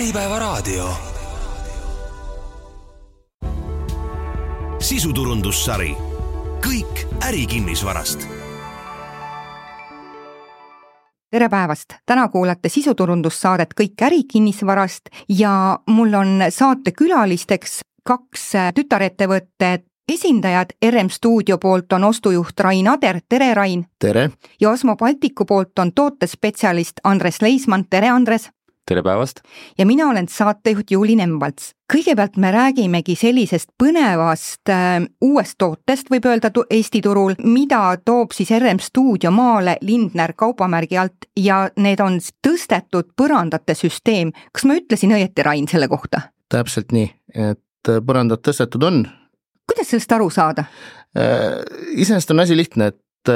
Äripäevaraadio. Sisuturundussari. Kõik ärikinnisvarast. Tere päevast! Täna kuulate sisuturundussaadet Kõik ärikinnisvarast ja mul on saate külalisteks kaks tütarettevõtted esindajad. RM Stuudio poolt on ostujuht Rain Ader. Tere, Rain! Tere! Ja Osmo Baltiku poolt on tootespetsialist Andres Leismann. Tere, Andres! Tere päevast! Ja mina olen saatejuht Juuli Nemvalts. Kõigepealt me räägimegi sellisest põnevast uuest tootest, võib öelda Eesti turul, mida toob siis RM Stuudio maale Lindner kaubamärgi alt ja need on tõstetud põrandate süsteem. Kas ma ütlesin õieti, Rain, selle kohta? Täpselt nii, et põrandad tõstetud on. Kuidas sellest aru saada? Iseenesest on asi lihtne, et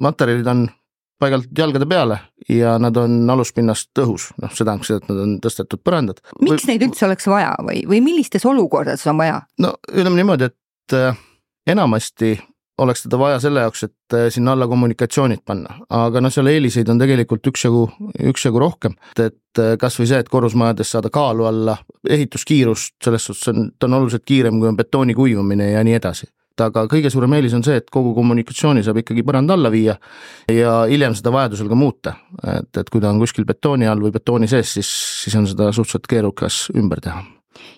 materjalid on paigalt jalgade peale ja nad on aluspinnast õhus. See tähendab seda, et nad on tõstetud põrandad. Miks neid üldse oleks vaja või millistes olukordades on vaja? No ütleme niimoodi, et enamasti oleks teda vaja selle jaoks, et sinna alla kommunikatsioonid panna. Aga seal eeliseid on tegelikult üksjagu rohkem. Et kas või see, et korrusmajades saada kaalu alla, ehituskiirust, selles suhtes ta on oluliselt kiirem, kui on betooni kuivumine ja nii edasi. Aga kõige suurem eelis on see, et kogu kommunikatsiooni saab ikkagi põrand alla viia ja hiljem seda vajadusel ka muuta. Et kui ta on kuskil betooni all või betooni sees, siis on seda suhteliselt keerukas ümber teha.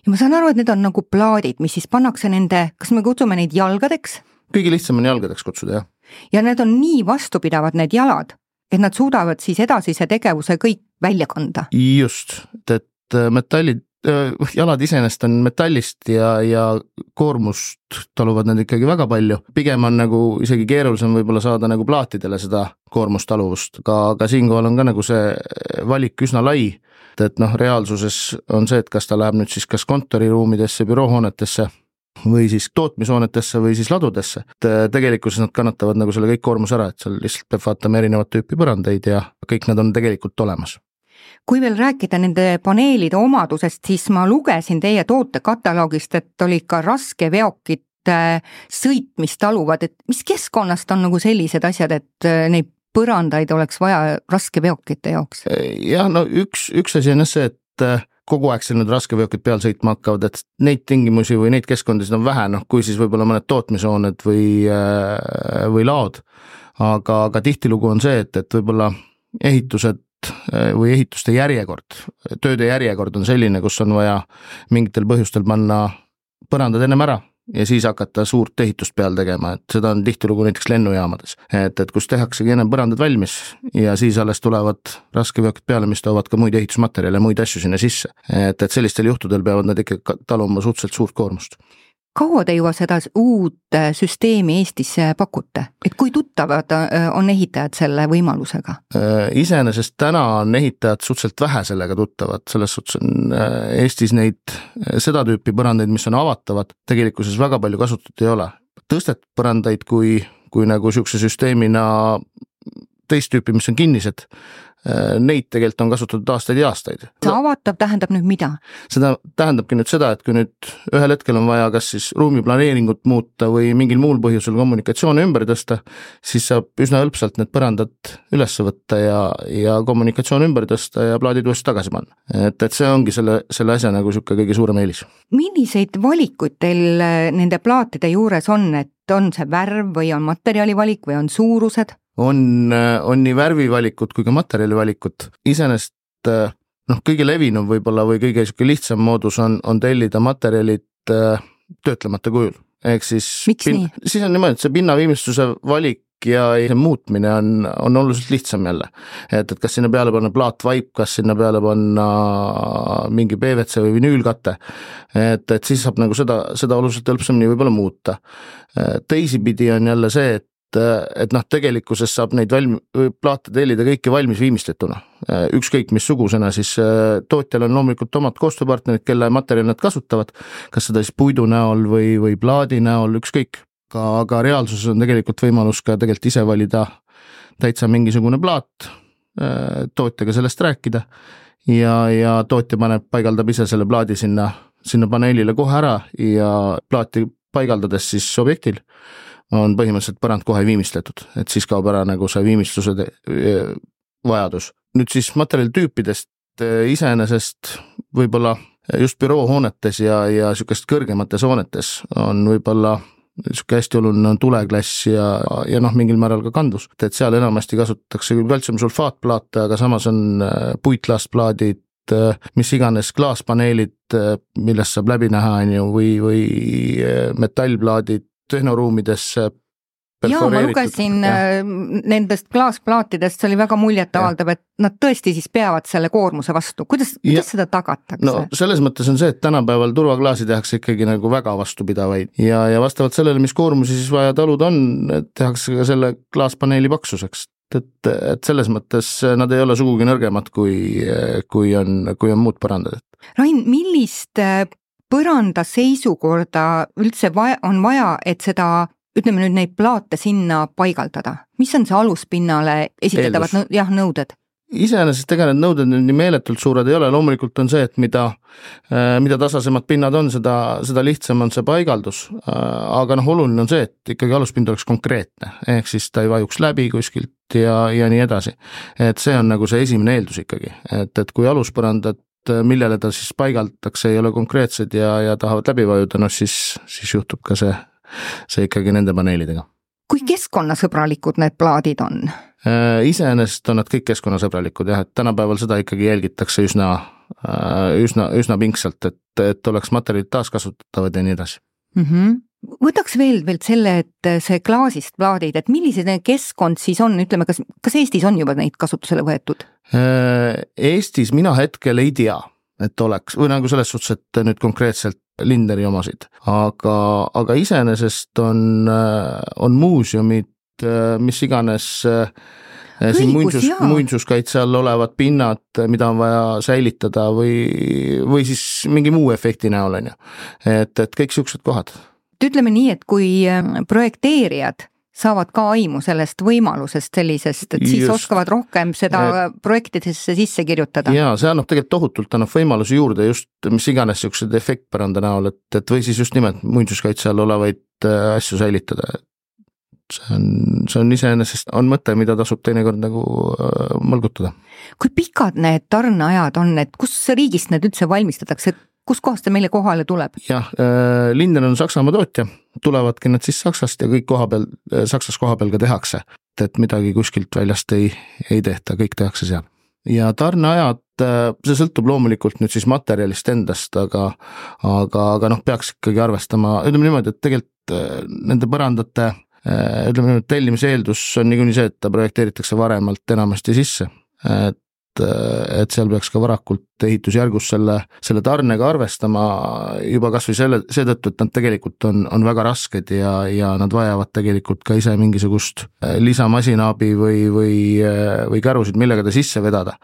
Ja ma saan aru, et need on nagu plaadid, mis siis pannakse nende, kas me kutsume neid jalgadeks? Kõige lihtsam on jalgadeks kutsuda, jah. Ja need on nii vastupidavad need jalad, et nad suudavad siis edasise tegevuse kõik välja kanda. Just, et jalad iseenesest on metallist ja koormust taluvad nad ikkagi väga palju. Pigem on nagu isegi keerulisem võib-olla saada nagu plaatidele seda koormustaluvust. Aga siinkohal on ka nagu see valik üsna lai, et reaalsuses on see, et kas ta läheb nüüd siis kas kontoriruumidesse, büroohoonetesse või siis tootmishoonetesse või siis ladudesse. Tegelikkuses nad kannatavad nagu selle kõik koormus ära, et seal lihtsalt peab vaatama erinevat tüüpi põrandeid ja kõik nad on tegelikult olemas. Kui veel rääkida nende paneelide omadusest, siis ma lugesin teie tootekataloogist, et oli ka raske veokit sõitmist taluvad, et mis keskkonnast on nagu sellised asjad, et neid põrandaid oleks vaja raske veokite jaoks? Jah, üks asi on see, et kogu aeg seal need raske veokid peal sõitma hakkavad, et neid tingimusi või neid keskkondasid on vähe, kui siis võib-olla mõned tootmishooned või laod. Aga tihtilugu on see, et võib-olla ehitused või ehituste järjekord, tööde järjekord on selline, kus on vaja mingitel põhjustel panna põrandad ennem ära ja siis hakata suurt ehitust peal tegema, et seda on tihtilugu näiteks lennujaamades. Et kus tehaksegi ennem põrandad valmis ja siis alles tulevad raskeveokid peale, mis toovad ka muid ehitusmaterjale ja muid asju sinna sisse. Et sellistel juhtudel peavad nad ikka taluma suhteliselt suurt koormust. Kaua te juba seda uut süsteemi Eestis pakute? Et kui tuttavad on ehitajad selle võimalusega? Iseenesest täna on ehitajad suhteliselt vähe sellega tuttavad. Selles suhtes on Eestis seda tüüpi põrandaid, mis on avatavad, tegelikkuses väga palju kasutatud ei ole. Tõstetud põrandaid kui nagu siukse süsteemina teist tüüpi, mis on kinnised, neid tegelikult on kasutatud aastaid ja aastaid. See avatav tähendab nüüd mida? Seda tähendabki nüüd seda, et kui nüüd ühel hetkel on vaja kas siis ruumiplaneeringut muuta või mingil muul põhjusel kommunikatsiooni ümber tõsta, siis saab üsna hõlpsalt need põrandad üles võtta ja kommunikatsioon ümber tõsta ja plaadid uuesti tagasi panna. Et see ongi selle asja nagu siuke kõige suurem eelis. Milliseid valikuid teil nende plaatide juures on, et on see värv või on materjalivalik või on suurused? On nii värvivalikut kui ka materjalivalikut. Iseenesest kõige levinum võib-olla või kõige lihtsam moodus on tellida materjalid töötlemata kujul. Ehk siis Miks nii? Siis on niimoodi, et see pinnaviimistluse valik ja muutmine on oluliselt lihtsam jälle. Et kas sinna peale panna plaatvaip, kas sinna peale panna mingi PVC või vinüülkate. Et siis saab nagu seda oluliselt hõlpsamini võib-olla muuta. Teisipidi on jälle see, et tegelikkuses saab neid plaate tellida kõiki valmis viimistletuna. Ükskõik missugusena, siis tootjal on loomulikult omad koostööpartnerid, kelle materjal nad kasutavad, kas seda siis puidu näol või plaadi näol, ükskõik. Aga reaalsuses on tegelikult võimalus ka tegelikult ise valida täitsa mingisugune plaat, tootjaga sellest rääkida ja tootja paigaldab ise selle plaadi sinna paneelile kohe ära ja plaati paigaldades siis objektil on põhimõtteliselt põrand kohe viimistletud, et siis kaob ära nagu see viimistluse vajadus. Nüüd siis materjalitüüpidest iseenesest võib-olla just büroohoonetes ja niisugust kõrgemates hoonetes on võib-olla niisugune hästi oluline on tuleklass ja noh, mingil määral ka kandvus. Et seal enamasti kasutatakse küll kaltsiumsulfaatplaate, aga samas on puitlaastplaadid, mis iganes klaaspaneelid, millest saab läbi näha või metallplaadid tehnoruumidesse. Jaa, ma lugesin nendest klaasplaatidest, see oli väga muljetavaldav, et nad tõesti siis peavad selle koormuse vastu. Kuidas seda tagatakse? No selles mõttes on see, et tänapäeval turvaklaasi tehakse ikkagi nagu väga vastupidavaid ja vastavalt sellele, mis koormusi siis vaja talud on, tehakse ka selle klaaspaneeli paksuseks. Et selles mõttes nad ei ole sugugi nõrgemad, kui on muud põrandad. Rain, millist põranda seisukorda üldse on vaja, et seda ütleme nüüd neid plaate sinna paigaldada. Mis on see aluspinnale esitatavad nõuded? Iseenesest tegelikult need nõuded nii meeletult suured ei ole, loomulikult on see, et mida tasasemad pinnad on, seda lihtsam on see paigaldus, aga oluline on see, et ikkagi aluspind oleks konkreetne, ehk siis ta ei vajuks läbi kuskilt ja nii edasi. Et see on nagu see esimene eeldus ikkagi, et kui aluspõrandad, millele ta siis paigaldatakse, ei ole konkreetsed ja tahavad läbi vajuda, siis juhtub ka see ikkagi nende paneelidega. Kui keskkonnasõbralikud need plaadid on? Iseenesest on nad kõik keskkonnasõbralikud, et tänapäeval seda ikkagi jälgitakse üsna pingsalt, et oleks materjalid taaskasutatavad ja nii edasi. Võtaks veel selle, et see klaasist plaadid, et millised keskkond siis on, ütleme, kas Eestis on juba neid kasutusele võetud? Eestis mina hetkel ei tea, et oleks, või nagu selles suhtes, et nüüd konkreetselt Lindneri omasid, aga iseenesest on muuseumid, mis iganes siin muinsuskaitse all olevad pinnad, mida on vaja säilitada või siis mingi muu efekti näol on ju, et kõik siuksed kohad. Ütleme nii, et kui projekteerijad saavad ka aimu sellest võimalusest sellisest, et siis oskavad rohkem seda projektidesse sisse kirjutada. Jaa, see annab tegelikult tohutult võimalusi juurde just mis iganes siuksed efektpäranda näol, et või siis just nimelt muinsuskaitse all olevaid asju säilitada. See on iseenesest on mõte, mida tasub teinekord nagu mõlgutada. Kui pikad need tarneajad on, et kus riigist need üldse valmistatakse, kus kohast ta meile kohale tuleb? Jah, Lindner on Saksamaa tootja, tulevadki nad siis Saksast ja kõik Saksas koha peal ka tehakse, et midagi kuskilt väljast ei tehta, kõik tehakse seal. Ja tarneajad, see sõltub loomulikult nüüd siis materjalist endast, aga peaks ikkagi arvestama, ütleme niimoodi, et tegelikult nende põrandate tellimise eeldus on niikuinii see, et ta projekteeritakse varemalt enamasti sisse, et seal peaks ka varakult ehitusjärgus selle tarnega arvestama juba kas või seetõttu, et nad tegelikult on väga rasked ja nad vajavad tegelikult ka ise mingisugust lisamasinaabi või kärusid, millega ta sisse vedada.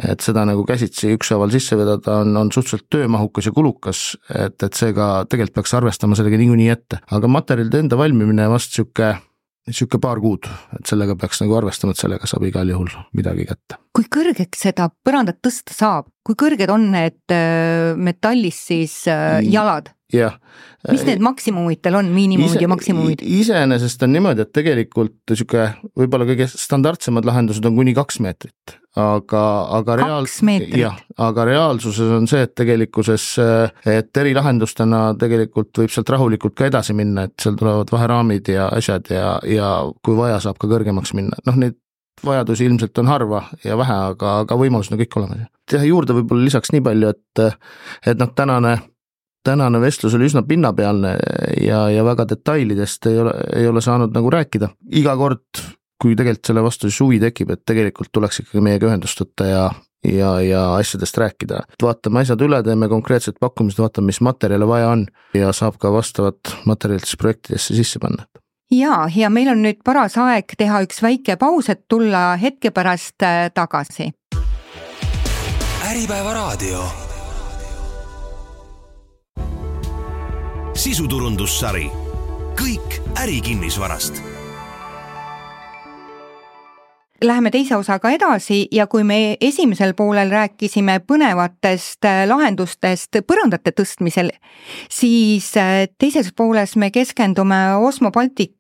Et seda nagu käsitsi ükshaaval sisse vedada on suhteliselt töömahukas ja kulukas, et seega tegelikult peaks arvestama sellega niikuinii ette. Aga materjalide enda valmimine vast siuke paar kuud, et sellega peaks nagu arvestama, et sellega saab igal juhul midagi kätte. Kui kõrgeks seda põrandat tõsta saab? Kui kõrged on need metallist siis jalad? Jah. Mis need maksimumid teil on, miinimumid ja maksimumid? Iseenesest on niimoodi, et tegelikult võib-olla kõige standardsemad lahendused on kuni 2 meetrit. Aga reaalsuses on see, et tegelikkuses, et erilahendustena tegelikult võib sealt rahulikult ka edasi minna, et seal tulevad vaheraamid ja asjad ja kui vaja saab ka kõrgemaks minna. Neid vajadusi ilmselt on harva ja vähe, aga võimalused on kõik olemas. Teha juurde võib-olla lisaks nii palju, et tänane vestlus oli üsna pinnapealne ja väga detailidest ei ole saanud nagu rääkida. Iga kord, kui tegelikult selle vastu suvi tekib, et tegelikult tuleks ikkagi meiega ühendust võtta ja asjadest rääkida. Vaatame asjad üle, teeme konkreetsed pakkumised, vaatame, mis materjale vaja on ja saab ka vastavat materjalid projektidesse sisse panna. Ja meil on nüüd paras aeg teha üks väike paus, et tulla hetke pärast tagasi. Äripäeva raadio. Sisuturundussari. Kõik ärikinnisvarast. Läheme teise osaga edasi ja kui me esimesel poolel rääkisime põnevatest lahendustest põrandate tõstmisel, siis teises pooles me keskendume Osmo Baltic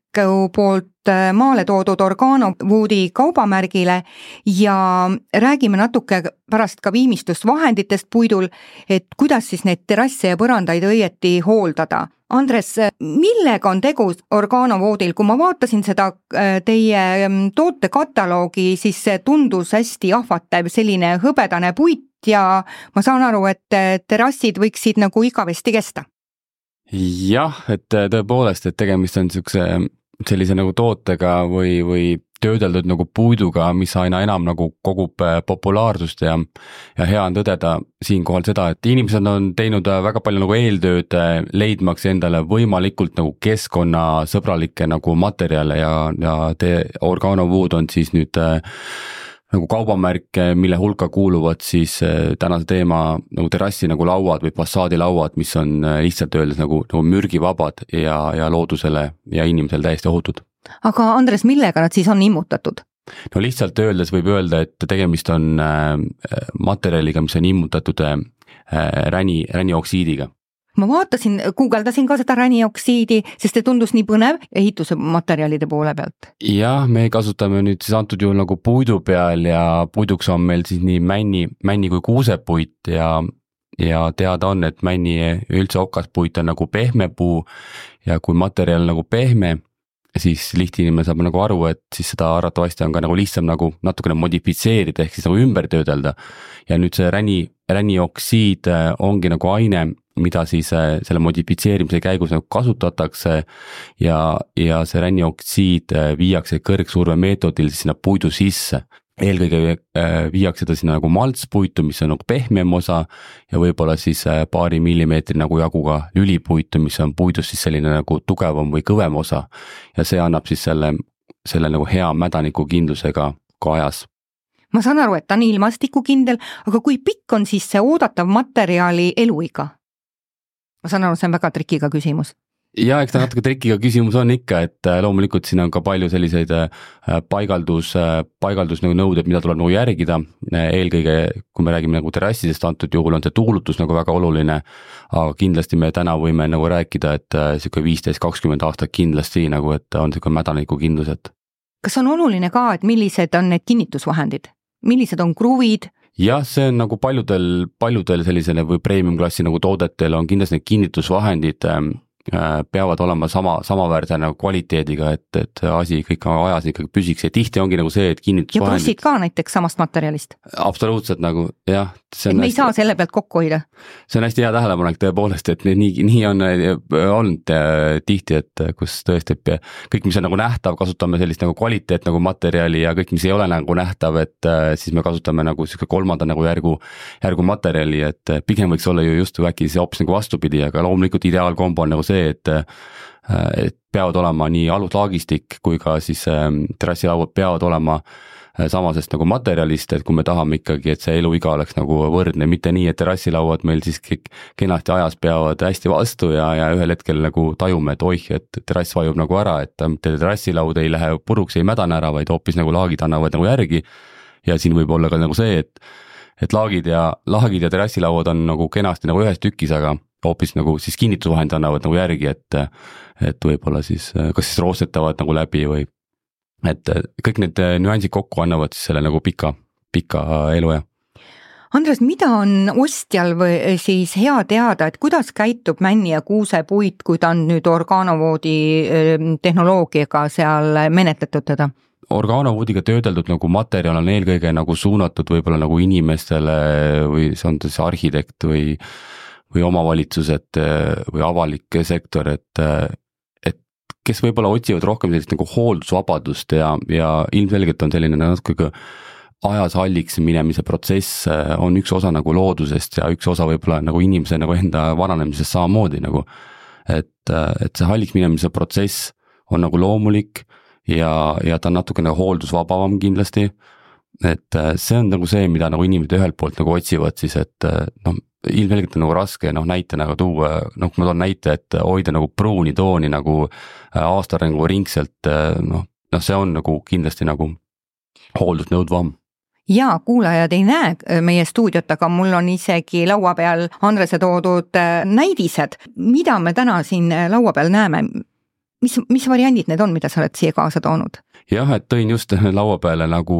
poolt maale toodud orgaanovoodi kaubamärgile ja räägime natuke pärast ka viimistlusvahenditest puidul, et kuidas siis neid terrasse ja põrandaid õieti hooldada. Andres, millega on tegu orgaanovoodil? Kui ma vaatasin seda teie tootekatalogi, siis see tundus hästi ahvatlev, selline hõbedane puit ja ma saan aru, et terrassid võiksid nagu igavesti kesta. Jah, et tõepoolest, et tegemist on sellise nagu tootega või töödeldud nagu puiduga, mis aina enam nagu kogub populaarsust ja hea on tõdeda siinkohal seda, et inimesed on teinud väga palju nagu eeltööd leidmaks endale võimalikult nagu keskkonnasõbralikke nagu materjale ja orgaanovood on siis nüüd nagu kaubamärk, mille hulka kuuluvad siis tänase teema nagu terrassi nagu lauad või fassaadilauad, mis on lihtsalt öeldes nagu mürgivabad ja loodusele ja inimesele täiesti ohutud. Aga Andres, millega nad siis on immutatud? No lihtsalt öeldes võib öelda, et tegemist on materjaliga, mis on immutatud ränioksiidiga. Ma vaatasin, guugeldasin ka seda ränioksiidi, sest see tundus nii põnev ehituse materjalide poole pealt. Jah, me kasutame nüüd siis antud juhul nagu puidu peal ja puiduks on meil siis nii männi kui kuusepuit ja teada on, et männi üldse okaspuit on nagu pehme puu ja kui materjal nagu pehme, siis lihtinimene saab nagu aru, et siis seda arvatavasti on ka nagu lihtsam nagu natukene modifitseerida ehk siis nagu ümber töödelda. Ja nüüd see ränioksiid ongi nagu aine, mida siis selle modifitseerimise käigus nagu kasutatakse ja see ränioksiid viiakse kõrgsurve meetodil sinna puidu sisse. Eelkõige viiakse ta sinna nagu maltspuitu, mis on nagu pehmem osa ja võib-olla siis paari millimeetri nagu jaguga lülipuitu, mis on puidus siis selline nagu tugevam või kõvem osa ja see annab siis selle nagu hea mädaniku kindlusega ka ajas. Ma saan aru, et ta on ilmastikukindel, aga kui pikk on siis see oodatav materjali eluiga? Ma saan aru, see on väga trikiga küsimus. Ja eks ta natuke trikiga küsimus on ikka, et loomulikult siin on ka palju selliseid paigaldus nagu nõuded, mida tuleb nagu järgida. Eelkõige, kui me räägime nagu terrassidest, antud juhul on see tuulutus nagu väga oluline, aga kindlasti me täna võime nagu rääkida, et 15-20 aastat kindlasti nagu, et on mädaniku kindlused. Kas on oluline ka, et millised on need kinnitusvahendid? Millised on kruvid? Jah, see on nagu paljudel sellisele või premium-klassi nagu toodetel on kindlasti need kinnitusvahendid peavad olema samaväärse nagu kvaliteediga, et asi kõik ajas ikkagi püsiks ja tihti ongi nagu see, et kinnitusvahendid. Ja brussid ka näiteks samast materjalist? Absoluutselt nagu, jah. Et me ei saa selle pealt kokku hoida? See on hästi hea tähelepanek tõepoolest, et nii on olnud tihti, et kus tõesti kõik, mis on nagu nähtav, kasutame sellist nagu kvaliteet nagu materjali ja kõik, mis ei ole nagu nähtav, et siis me kasutame nagu kolmanda nagu järgu materjali, et pigem võiks olla ju just äkki see hoopis nagu vastupidi, aga loomulikult ideaalkombo on nagu see, et peavad olema nii aluslaagistik kui ka siis terrassilauad peavad olema samasest nagu materjalist, et kui me tahame ikkagi, et see eluiga oleks nagu võrdne, mitte nii, et terrassilauad meil siis kenasti ajas peavad hästi vastu ja ühel hetkel nagu tajume, et oih, et terrass vajub nagu ära, et terrassilaud ei lähe puruks, ei mädane ära, vaid hoopis nagu laagid annavad nagu järgi ja siin võib olla ka nagu see, et laagid ja terrassilauad on nagu kenasti nagu ühes tükis, aga hoopis nagu siis kinnitusvahend annavad nagu järgi, et võib-olla siis kas siis roostetavad nagu läbi või et kõik need nüansid kokku annavad siis selle nagu pika eluea. Andres, mida on ostjal või siis hea teada, et kuidas käitub männi ja kuusepuit, kui ta on nüüd orgaanovoodi tehnoloogiaga seal menetletud teda? Orgaanovoodiga töödeldud nagu materjal on eelkõige nagu suunatud võib-olla nagu inimestele või see on siis arhitekt või omavalitsused või avalik sektor, et kes võib-olla otsivad rohkem sellist nagu hooldusvabadust ja ilmselgelt on selline natuke ajas halliks minemise protsess on üks osa nagu loodusest ja üks osa võib-olla nagu inimese nagu enda vananemisest samamoodi nagu, et see halliks minemise protsess on nagu loomulik ja ta on natuke nagu hooldusvabavam kindlasti, et see on nagu see, mida nagu inimesed ühelt poolt nagu otsivad siis, et ilmselgelt on nagu raske näitena tuua, kui ma toon näite, et hoida nagu pruuni tooni nagu aastarengu ringselt, see on nagu kindlasti nagu hooldusnõudvam. Ja kuulajad ei näe meie stuudiot, aga mul on isegi laua peal Andrese toodud näidised. Mida me täna siin laua peal näeme? mis variandid need on, mida sa oled siia kaasa toonud? Jah, et tõin just laua peale nagu,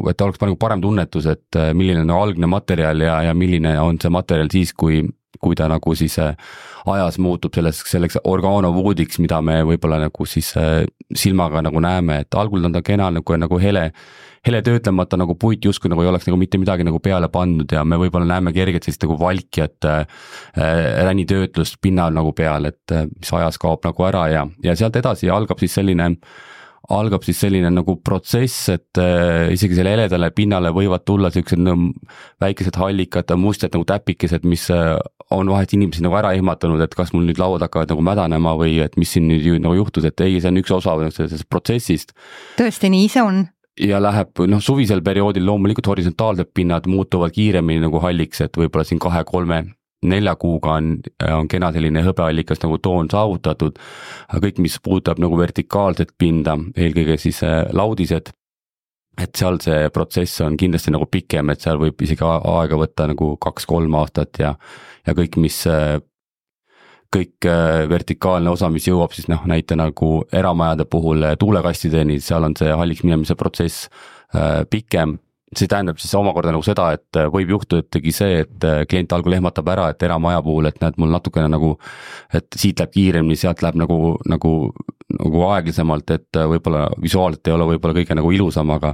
et oleks parem tunnetus, et milline on algne materjal ja milline on see materjal siis, kui ta nagu siis ajas muutub selleks orgaanovoodiks, mida me võib-olla nagu siis silmaga nagu näeme, et algul on ta kena nagu hele töötlemata nagu puit justkui nagu ei oleks nagu mitte midagi nagu peale pandud ja me võib-olla näeme kergelt sellist nagu valkjat ränitöötlust pinnal nagu peal, et mis ajas kaob nagu ära ja sealt edasi algab siis selline nagu protsess, et isegi selle heledale pinnale võivad tulla sellised väikesed hallikad, mustad nagu täpikesed, mis on vahest inimesi nagu ära ehmatanud, et kas mul nüüd lauad hakkavad nagu mädanema või et mis siin nüüd nagu juhtus, et ei, see on üks osa sellest protsessist. Tõesti, nii see on. Ja läheb, suvisel perioodil loomulikult horisontaalsed pinnad muutuvad kiiremini nagu halliks, et võib-olla siin 2, 3, 4 kuuga on kena selline hõbeallikas nagu toon saavutatud, kõik, mis puudutab nagu vertikaalset pinda, eelkõige siis laudised, et seal see protsess on kindlasti nagu pikem, et seal võib isegi aega võtta nagu 2-3 aastat ja kõik vertikaalne osa, mis jõuab siis näite nagu eramajade puhul tuulekastideni, seal on see halliks minemise protsess pikem. See tähendab siis omakorda nagu seda, et võib juhtuda tegi see, et klient algul ehmatab ära, et eramaja puhul, et näed mul natukene nagu, et siit läheb kiiremini, sealt läheb nagu aeglasemalt, et võib-olla visuaalselt ei ole võib-olla kõige nagu ilusam, aga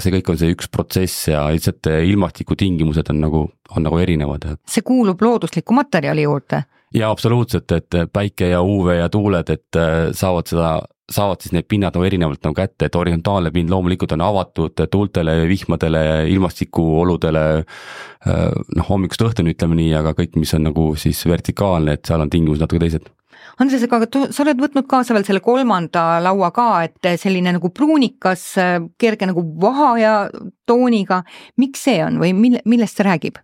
see kõik on see üks protsess ja lihtsalt ilmastiku tingimused on nagu erinevad. See kuulub loodusliku materjali juurde? Ja absoluutselt, et päike ja UV ja tuuled, et saavad siis need pinnad nagu erinevalt nagu kätte, et horisontaalne pind loomulikult on avatud tuultele, vihmadele, ilmastikuoludele, hommikust õhtuni ütleme nii, aga kõik, mis on nagu siis vertikaalne, et seal on tingimus natuke teised. Andres, aga sa oled võtnud kaasa veel selle 3. laua ka, et selline nagu pruunikas, kerge nagu vahaja tooniga, miks see on või millest see räägib?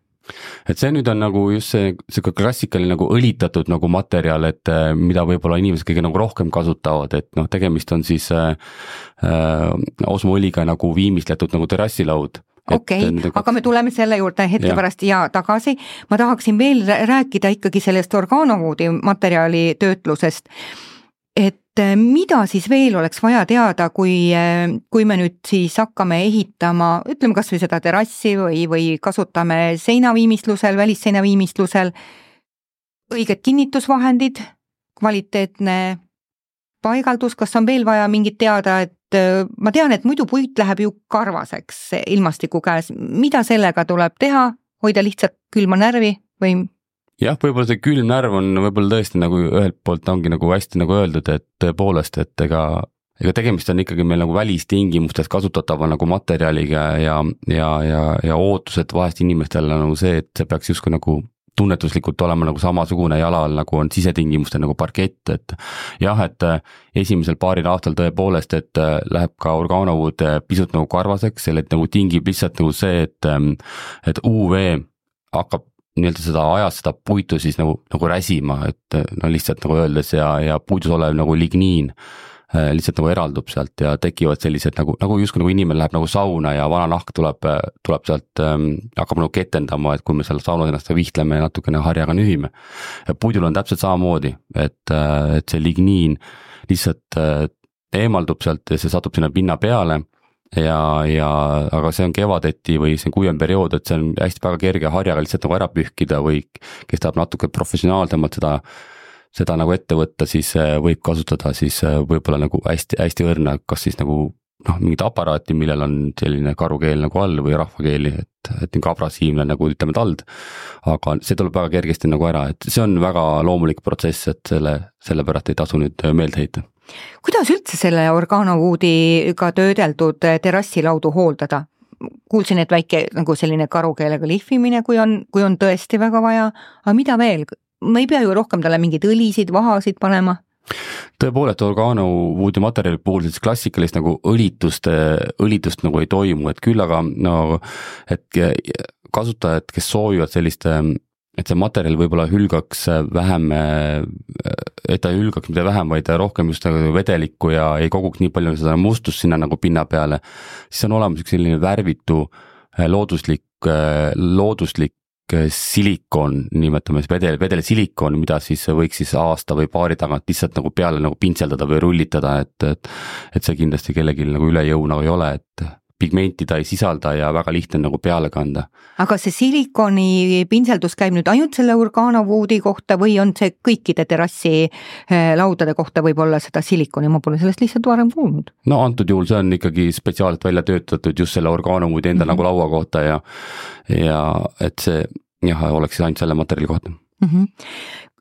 Et see nüüd on nagu just see klassikaline nagu õlitatud nagu materjal, et mida võib-olla inimesed kõige nagu rohkem kasutavad, et tegemist on siis osmoõliga nagu viimistletud nagu terrassilaud. Okei, aga me tuleme selle juurde hetke pärast ja tagasi. Ma tahaksin veel rääkida ikkagi sellest orgaanovoodi materjali töötlusest, et mida siis veel oleks vaja teada, kui me nüüd siis hakkame ehitama, ütleme kas või seda terrassi või kasutame seinaviimistlusel, välisseinaviimistlusel, õiged kinnitusvahendid, kvaliteetne paigaldus, kas on veel vaja mingit teada, et ma tean, et muidu puit läheb ju karvaseks ilmastiku käes, mida sellega tuleb teha, hoida lihtsalt külma närvi või? Jah, võib-olla see külm närv on võib-olla tõesti nagu ühelt poolt ongi nagu hästi nagu öeldud, et tõepoolest, et ega tegemist on ikkagi meil nagu välistingimustes kasutatava nagu materjaliga ja ootused vahest inimestel nagu see, et see peaks justkui nagu tunnetuslikult olema nagu samasugune jalal, nagu on sisetingimuste nagu parkett, et jah, et esimesel paaril aastal tõepoolest, et läheb ka orgaanovood pisut nagu karvaseks, selle nagu tingib lihtsalt nagu see, et UV hakkab seda ajas seda puitu siis nagu räsima, et lihtsalt nagu öeldes ja puidus olev nagu ligniin lihtsalt nagu eraldub sealt ja tekivad sellised nagu justkui nagu inimene läheb nagu sauna ja vana nahk tuleb sealt, hakkab nagu ketendama, et kui me seal saunas ennast vihtleme ja natukene harjaga nühime. Puidul on täpselt samamoodi, et see ligniin lihtsalt eemaldub sealt ja see satub sinna pinna peale aga see on kevadeti või see on kuivem periood, et see on hästi väga kerge harjaga lihtsalt nagu ära pühkida või kes tahab natuke professionaalsemalt seda nagu ette võtta, siis võib kasutada siis võib-olla nagu hästi õrna, kas siis nagu mingit aparaati, millel on selline karukeel nagu all või rahvakeeli, et nagu abrasiivne nagu ütleme tald, aga see tuleb väga kergesti nagu ära, et see on väga loomulik protsess, et sellepärast ei tasu nüüd meelde heita. Kuidas üldse selle orgaanovoodiga töödeldud terrassilaudu hooldada? Kuulsin, et väike nagu selline karukeelega lihvimine, kui on tõesti väga vaja, aga mida veel? Ma ei pea ju rohkem talle mingeid õlisid, vahasid panema? Tõepoolest orgaanovoodi materjali puhul siis klassikalist nagu õlitust nagu ei toimu, et küll aga et kasutajad, kes soovivad sellist, et see materjal võib-olla hülgaks vähem, et ta hülgaks mida vähem, vaid rohkem just nagu vedelikku ja ei koguks nii palju seda mustust sinna nagu pinna peale, siis on olemas üks selline värvitu looduslik silikon, nimetame vedel silikon, mida siis võiks siis aasta või paari tagant lihtsalt nagu peale nagu pintseldada või rullitada, et see kindlasti kellelgi nagu üle jõu nagu ei ole, et pigmenti ta ei sisalda ja väga lihtne nagu peale kanda. Aga see silikoni pintseldus käib nüüd ainult selle orgaanovoodi kohta või on see kõikide terrassi laudade kohta võib-olla seda silikoni, ma pole sellest lihtsalt varem kuulnud? No antud juhul see on ikkagi spetsiaalselt välja töötatud just selle orgaanovoodi enda nagu laua kohta ja et see oleks ainult selle materjali kohta.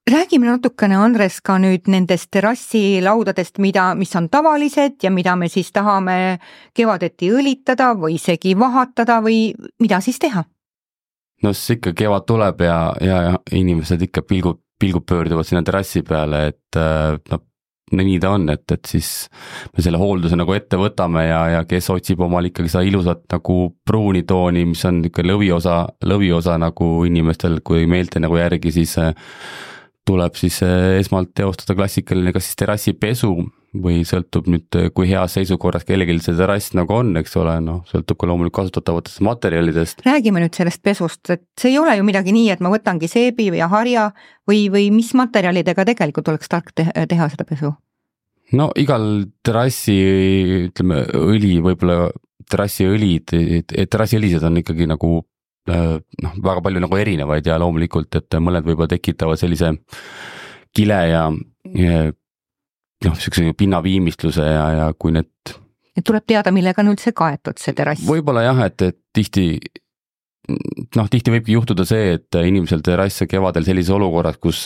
Räägime natukene, Andres, ka nüüd nendest terrassilaudadest, mis on tavalised ja mida me siis tahame kevadeti õlitada või isegi vahatada või mida siis teha? No siis ikka kevad tuleb ja inimesed ikka pilgud pöörduvad sinna terrassi peale, et nii ta on, et siis me selle hoolduse nagu ette võtame ja kes otsib omal ikkagi seda ilusat nagu pruuni tooni, mis on ikka lõviosa nagu inimestel, kui meelte nagu järgi, siis tuleb siis esmalt teostada klassikaline kas siis terrassipesu või sõltub nüüd, kui heas seisukorras kellelgi see terrass nagu on, eks ole, sõltub ka loomulikult kasutatavatest materjalidest. Räägime nüüd sellest pesust, et see ei ole ju midagi nii, et ma võtangi seebi ja harja või mis materjalidega tegelikult oleks tark teha seda pesu? No igal terrassi, ütleme, õli, võib-olla terrassiõlised on ikkagi nagu väga palju nagu erinevaid ja loomulikult, et mõned võib-olla tekitavad sellise kile ja niisuguse pinnaviimistluse ja kui need... Et tuleb teada, millega on üldse kaetud see terrass? Võib-olla jah, et tihti võibki juhtuda see, et inimesel terrass kevadel sellises olukorras, kus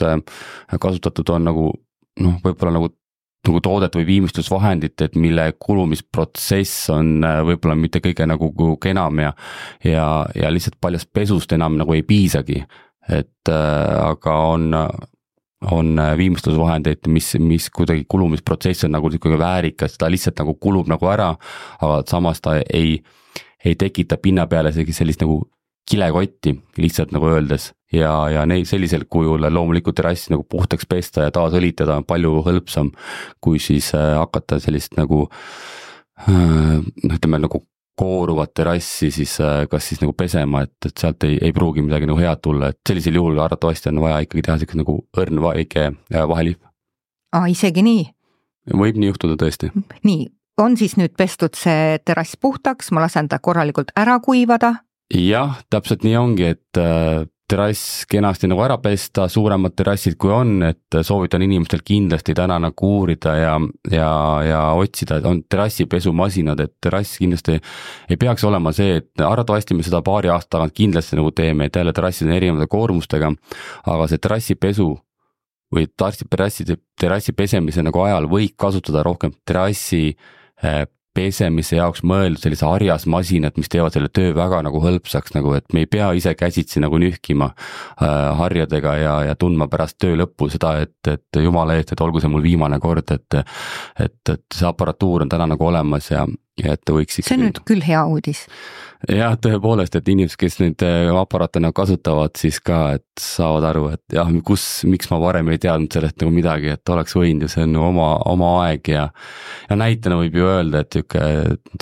kasutatud on nagu võib-olla nagu toodet või viimistlusvahendit, et mille kulumisprotsess on võib-olla mitte kõige nagu enam ja lihtsalt paljast pesust enam nagu ei piisagi, et aga on viimistlusvahendeid, mis kuidagi kulumisprotsess on nagu väärikas, ta lihtsalt nagu kulub nagu ära, aga samas ta ei tekita pinna peale sellist nagu kilekotti lihtsalt nagu öeldes ja sellisel kujul loomulikult terrassi nagu puhtaks pesta ja taas õlitada on palju hõlpsam, kui siis hakata sellist nagu ütleme nagu kooruvat terrassi siis kas siis nagu pesema, et sealt ei pruugi midagi nagu head tulla, et sellisel juhul arvatavasti on vaja ikkagi teha selline nagu õrn väike vaheliif. Isegi nii? Võib nii juhtuda tõesti. Nii, on siis nüüd pestud see terrass puhtaks, ma lasen ta korralikult ära kuivada? Jah, täpselt nii ongi, et terrass kenasti nagu ära pesta, suuremad terrassid kui on, et soovitan inimestel kindlasti täna nagu uurida ja otsida, on terrassipesumasinad, et terrass kindlasti ei peaks olema see, et arvatavasti me seda paari aasta tagant kindlasti nagu teeme, et jälle terrassid on erinevate koormustega, aga see terrassipesu või terrassi pesemise nagu ajal võid kasutada rohkem terrassi pesemise jaoks mõeldud sellise harjasmasinad, mis teevad selle töö väga nagu hõlpsaks, nagu et me ei pea ise käsitsi nagu nühkima harjadega ja tundma pärast töö lõppu seda, et jumala eest, et olgu see mul viimane kord, et see aparatuur on täna nagu olemas ja et võiks ikkagi... See on nüüd küll hea uudis. Jah, tõepoolest, et inimesed, kes neid aparaatena kasutavad, siis ka, et saavad aru, et jah, miks ma varem ei teadnud sellest nagu midagi, et oleks võinud ja see on oma aeg ja näitena võib ju öelda, et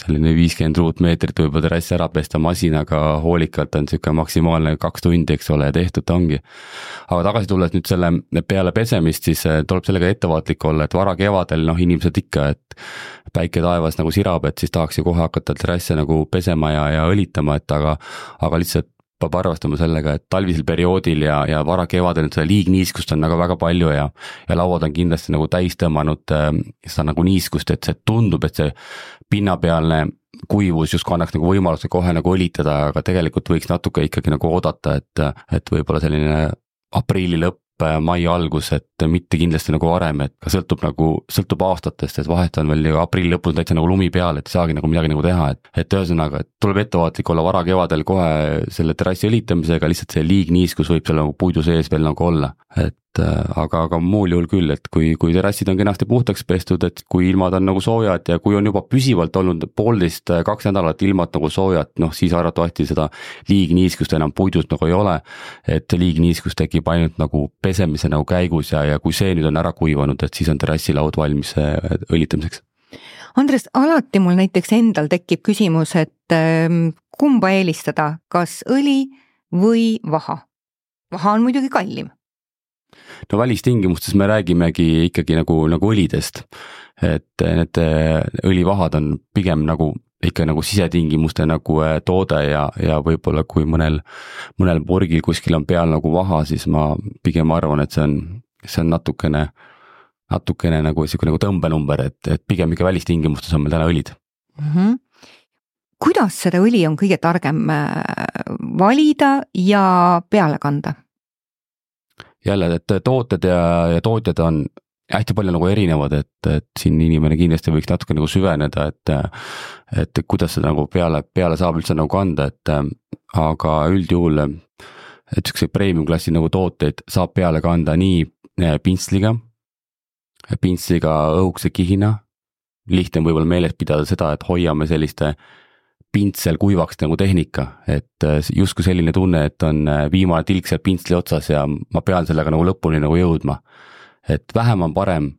selline 50 ruutmeetrit võib terrassi ära pesta masinaga hoolikalt on maksimaalne 2 tundi, eks ole, ja tehtud ta ongi. Aga tagasi tulles nüüd selle peale pesemist, siis tuleb sellega ettevaatlik olla, et vara kevadel inimesed ikka, et päike taevas nagu sirab, et siis tahaks ju kohe hakata terrasse nagu pesema ja õlitama, et aga lihtsalt peab arvestama sellega, et talvisel perioodil ja vara kevadel seda liigniiskust on väga palju ja lauad on kindlasti nagu täis tõmmanud seda nagu niiskust, et see tundub, et see pinnapealne kuivus justkui annaks nagu võimaluse kohe nagu õlitada, aga tegelikult võiks natuke ikkagi nagu oodata, et võib-olla selline aprilli lõpp, mai algus, et mitte kindlasti nagu varem, et ka sõltub aastatest, et vahet on veel aprilli lõpus täitsa nagu lumi peal, et ei saagi nagu midagi nagu teha, et ühesõnaga, et tuleb ettevaatlik olla vara kevadel kohe selle terrassi õlitamisega, lihtsalt see liigniiskus võib seal nagu puidu sees veel nagu olla, et aga muul juhul küll, et kui terrassid on kenasti puhtaks pestud, et kui ilmad on nagu soojad ja kui on juba püsivalt olnud 1,5–2 nädalat ilmad nagu soojad, siis arvatavasti seda liigniiskust enam puidust nagu ei ole, et liigniiskus tekib ainult nagu pesemise nagu käigus ja kui see nüüd on ära kuivanud, et siis on terrassilaud valmis õlitamiseks. Andres, alati mul näiteks endal tekib küsimus, et kumba eelistada, kas õli või vaha? vaha on muidugi kallim. No välistingimustes me räägimegi ikkagi nagu õlidest, et need õlivahad on pigem nagu ikka nagu sisetingimuste nagu toode ja võib-olla kui mõnel purgil kuskil on peal nagu vaha, siis ma pigem arvan, et see on natukene nagu siuke nagu tõmbenumber, et pigem ikka välistingimustes on meil täna õlid. Kuidas seda õli on kõige targem valida ja peale kanda? Jälle, et tooted ja tootjad on hästi palju nagu erinevad, et siin inimene kindlasti võiks natuke nagu süveneda, et kuidas seda nagu peale saab üldse nagu kanda, aga üldjuhul, et ükskõik premium klassi nagu tooteid saab peale kanda nii pintsliga õhukese kihina, lihtne võib-olla meeles pidada seda, et hoiame selliste pintsel kuivaks nagu tehnika, et justkui selline tunne, et on viimane tilk seal pintsli otsas ja ma pean sellega nagu lõpuni nagu jõudma. Et vähem on parem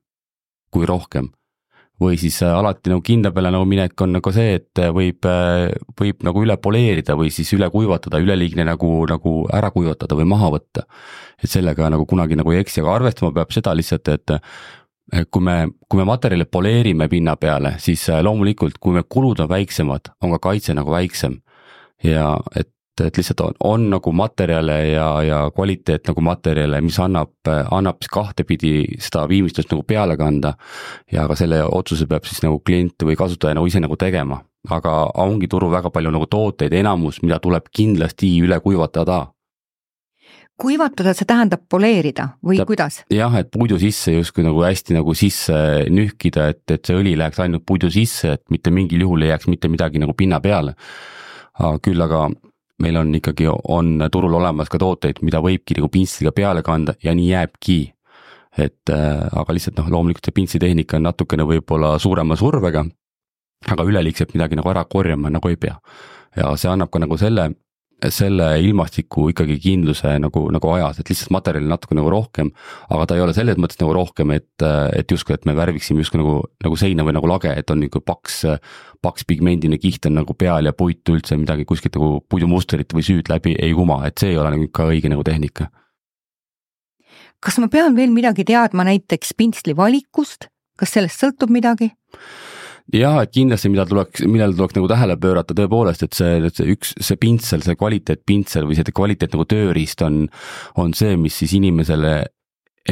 kui rohkem. Või siis alati nagu kinda peale nagu minek on nagu see, et võib nagu üle poleerida või siis üle kuivatada, üleliigne nagu ära kuivatada või maha võtta. Et sellega nagu kunagi nagu ei eksi, aga arvestama peab seda lihtsalt, et kui me materjali poleerime pinna peale, siis loomulikult, kui me kulud on väiksemad, on ka kaitse nagu väiksem ja et lihtsalt on nagu materjale ja kvaliteet nagu materjale, mis annab kahtepidi seda viimistlust nagu peale kanda ja ka selle otsuse peab siis nagu klient või kasutaja nagu ise nagu tegema, aga ongi turul väga palju nagu tooteid, enamus, mida tuleb kindlasti üle kuivatada. Kuivatada, see tähendab poleerida või kuidas? Jah, et puidu sisse justkui nagu hästi nagu sisse nühkida, et see õli läheks ainult puidu sisse, et mitte mingil juhul ei jääks mitte midagi nagu pinna peale. Küll aga meil on ikkagi turul olemas ka tooteid, mida võibki nagu pintsliga peale kanda ja nii jääbki. Aga lihtsalt loomulikult see pintslitehnika on natukene võib-olla suurema survega, aga üleliigselt midagi nagu ära korjama nagu ei pea. Ja see annab ka nagu selle ilmastiku ikkagi kindluse nagu ajas, et lihtsalt materjali natuke nagu rohkem, aga ta ei ole selles mõttes nagu rohkem, et justkui, et me värviksime justkui nagu seina või nagu lage, et on nagu paks pigmendine kiht on nagu peal ja puitu üldse midagi kuskilt nagu puidumustrit või süüd läbi ei kuma, et see ei ole nagu ka õige nagu tehnika. Kas ma pean veel midagi teadma näiteks pintsli valikust? Kas sellest sõltub midagi? Jah, et kindlasti millele tuleks nagu tähele pöörata tõepoolest, et see pintsel, see kvaliteetpintsel või see kvaliteet nagu tööriist on see, mis siis inimesele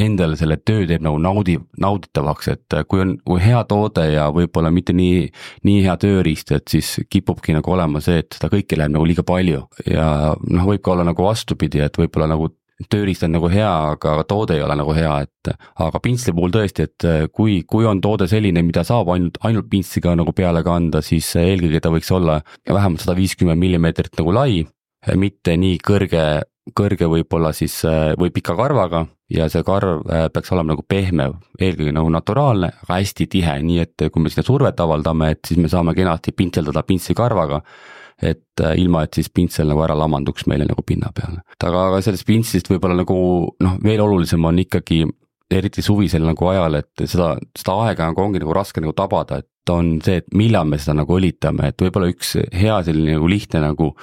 endale selle töö teeb nagu nauditavaks, et kui hea toode ja võib-olla mitte nii hea tööriist, et siis kipubki nagu olema see, et seda kõike läheb nagu liiga palju ja võib ka olla nagu vastupidi, et võib-olla nagu tööriist on nagu hea, aga toode ei ole nagu hea, aga pintsli puhul tõesti, et kui on toode selline, mida saab ainult pintsliga nagu peale kanda, siis eelkõige ta võiks olla vähemalt 150 mm nagu lai, mitte nii kõrge võib-olla siis või pika karvaga ja see karv peaks olema nagu pehme, eelkõige nagu naturaalne, aga hästi tihe, nii et kui me sinna survet avaldame, et siis me saame kenasti pintseldada pintsli karvaga, et ilma, et siis pintsel nagu ära lamanduks meile nagu pinna peale. Aga sellest pintslist võib-olla nagu veel olulisem on ikkagi eriti suvisel nagu ajal, et seda aega ongi nagu raske nagu tabada, et on see, et millal me seda nagu õlitame, et võib-olla üks hea selline nagu lihtne nagu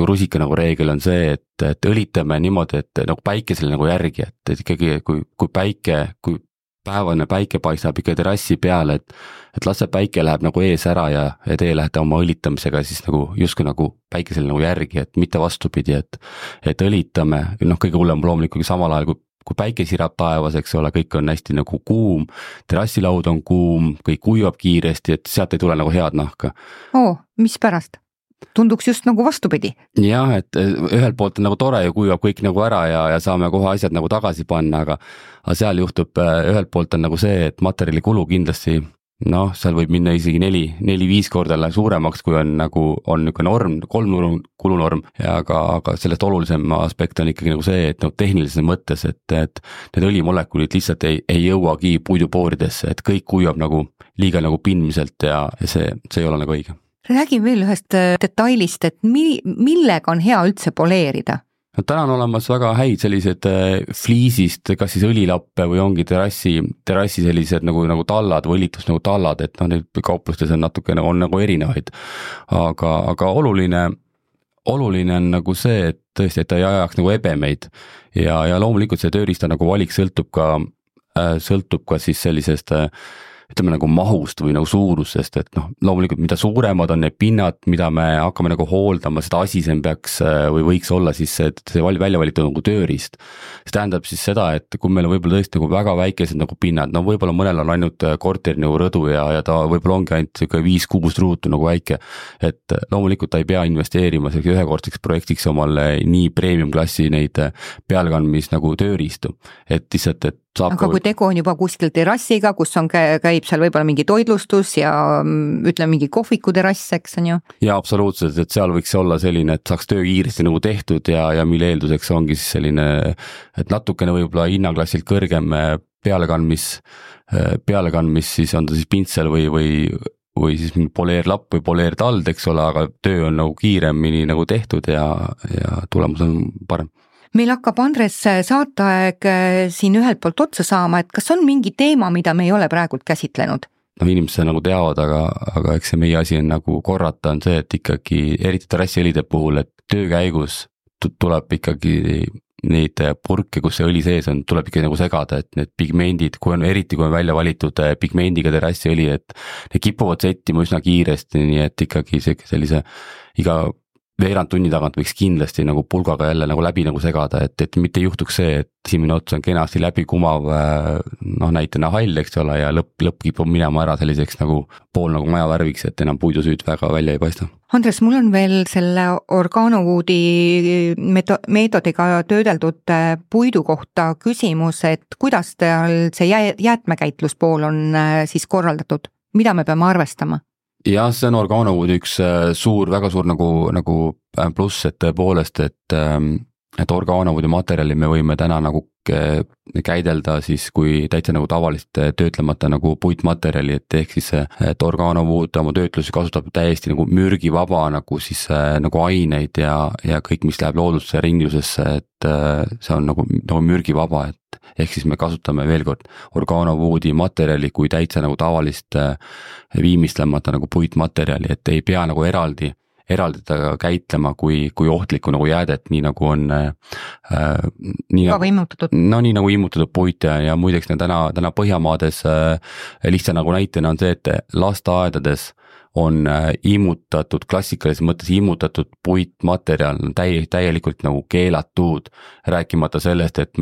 rusika nagu reegel on see, et õlitame niimoodi, et nagu päikesele nagu järgi, et ikkagi kui päevane päike paistab ikka terrassi peale, et las see päike läheb nagu ees ära ja teie lähete oma õlitamisega siis nagu justkui nagu päikesel nagu järgi, et mitte vastupidi, et õlitame, kõige hullem loomulikult samal ajal, kui päike sirab taevas, eks ole, kõik on hästi nagu kuum, terrassilaud on kuum, kõik kuivab kiiresti, et sealt ei tule nagu head nahka. Mis pärast? Tunduks just nagu vastupidi. Jah, et ühelt poolt on nagu tore ja kuivab kõik nagu ära ja saame kohe asjad nagu tagasi panna, aga seal juhtub ühelt poolt on nagu see, et materjali kulu kindlasti, seal võib minna isegi 4-5 korda suuremaks, kui on niisugune norm, 3 kulunorm, aga sellest olulisem aspekt on ikkagi nagu see, et tehnilises mõttes, et need õlimolekulid lihtsalt ei jõuagi puidupooridesse, et kõik kuivab nagu liiga nagu pindmiselt ja see ei ole nagu õige. Räägime veel ühest detailist, et millega on hea üldse poleerida? Täna on olemas väga häid sellised fliisist, kas siis õlilappe või ongi terrassi sellised nagu tallad või õlitus nagu tallad, et neid kauplustes on natukene nagu erinevaid. Aga oluline oluline on nagu see, et tõesti, et ta ei ajaks nagu ebemeid ja loomulikult see tööriista nagu valik sõltub ka siis sellisest ütleme nagu mahust või nagu suurusest, et noh, loomulikult mida suuremad on need pinnad, mida me hakkame nagu hooldama, seda asisem peaks või võiks olla siis see välja valitud nagu tööriist. See tähendab siis seda, et kui meil on võib-olla tõesti nagu väga väikesed nagu pinnad, no võib-olla mõnel on ainult korteri nagu rõdu ja ta võib-olla ongi ainult 5-6 ruutu nagu väike, et loomulikult ta ei pea investeerima ühekordseks projektiks omale nii premium klassi neid pealkandmis nagu tööriistu, et lihtsalt, et aga kui tegu on juba kuskil terrassiga, kus on käib seal võib-olla mingi toitlustus ja ütleme mingi kohviku terrass, eks on ju? Jaa, absoluutselt, et seal võiks olla selline, et saaks töö kiiresti nagu tehtud ja mille eelduseks ongi siis selline, et natukene võib-olla hinnaklassilt kõrgem pealekandmis siis on ta siis pintsel või siis mingi poleerlapp või poleertald, eks ole, aga töö on nagu kiiremini nagu tehtud ja tulemus on parem. Meil hakkab, Andres, saateaeg siin ühelt poolt otsa saama, et kas on mingi teema, mida me ei ole praegult käsitlenud? No inimesed nagu teavad, aga eks see meie asi on nagu korrata on see, et ikkagi eriti terrassiõlide puhul, et töö käigus tuleb ikkagi neid purke, kus see õli sees on, tuleb ikkagi nagu segada, et need pigmendid, eriti kui on välja valitud pigmendiga terrassiõli, et need kipuvad settima üsna kiiresti, nii et ikkagi sellise iga veerand tunni tagant võiks kindlasti nagu pulgaga jälle nagu läbi nagu segada, et mitte juhtuks see, et esimene ots on kenasti läbi kumav, noh näitena hall, eks ole, ja lõpp kipub minema ära selliseks nagu pool nagu maja värviks, et enam puidusüüd väga välja ei paista. Andres, mul on veel selle Organowoodi meetodiga töödeldud puidu kohta küsimus, et kuidas teil see jäätmekäitluspool on siis korraldatud, mida me peame arvestama? Jah, see on Organowoodi üks väga suur nagu pluss, et tõepoolest, et Organowoodi materjali me võime täna nagu käidelda siis kui täitsa nagu tavalist töötlemata nagu puitmaterjali, et ehk siis, et Organowood oma töötlusi kasutab täiesti nagu mürgivaba nagu siis nagu aineid ja kõik, mis läheb loodusse ringlusesse, et see on nagu mürgivaba, et ehk siis me kasutame veel kord Organowoodi materjali kui täitsa nagu tavalist viimistlemata nagu puitmaterjali, et ei pea nagu eraldi ta käitlema kui ohtlikku nagu jäädet, nii nagu on nii nagu immutatud puit ja muideks täna Põhjamaades lihtsa nagu näitena on see, et lasteaedades on immutatud, klassikalises mõttes immutatud puitmaterjal täielikult nagu keelatud, rääkimata sellest, et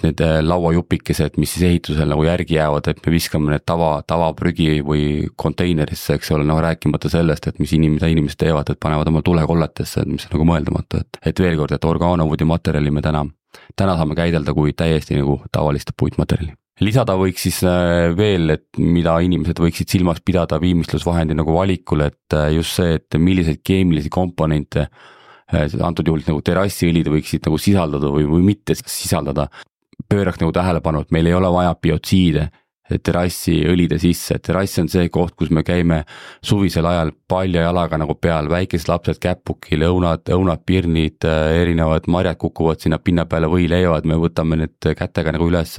need lauajupikesed, mis siis ehitusel nagu järgi jäävad, et me viskame need tavaprügi või konteinerisse, eks ole, rääkimata sellest, et mis inimesed teevad, et panevad oma tulekolletesse, mis on nagu mõeldamatu, et veel kord, et Organowoodi materjali me täna saame käidelda kui täiesti nagu tavalist puitmaterjali. Lisada võiks siis veel, et mida inimesed võiksid silmas pidada viimistlusvahendi nagu valikul, et just see, et milliseid keemilisi komponente antud juhul nagu terrassiõlid võiksid nagu sisaldada või mitte sisaldada. Pööraks nagu tähelepanu, et meil ei ole vaja biotsiide terrassiõlide sisse, terrass on see koht, kus me käime suvisel ajal palja jalaga nagu peal, väikesed lapsed käpukil, õunad, pirnid, erinevad marjad kukuvad sinna pinna peale või leiavad, me võtame need kätega nagu üles,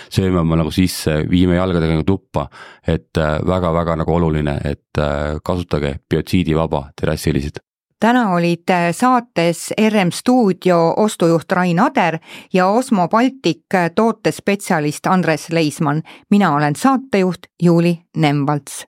sööme oma nagu sisse, viime jalgadega nagu tuppa, et väga-väga nagu oluline, et kasutage biotsiidivaba terrassiõlisid. Täna olid saates RM Stuudio ostujuht Rain Ader ja Osmo Baltic tootespetsialist Andres Leismann. Mina olen saatejuht Juuli Nemvalts.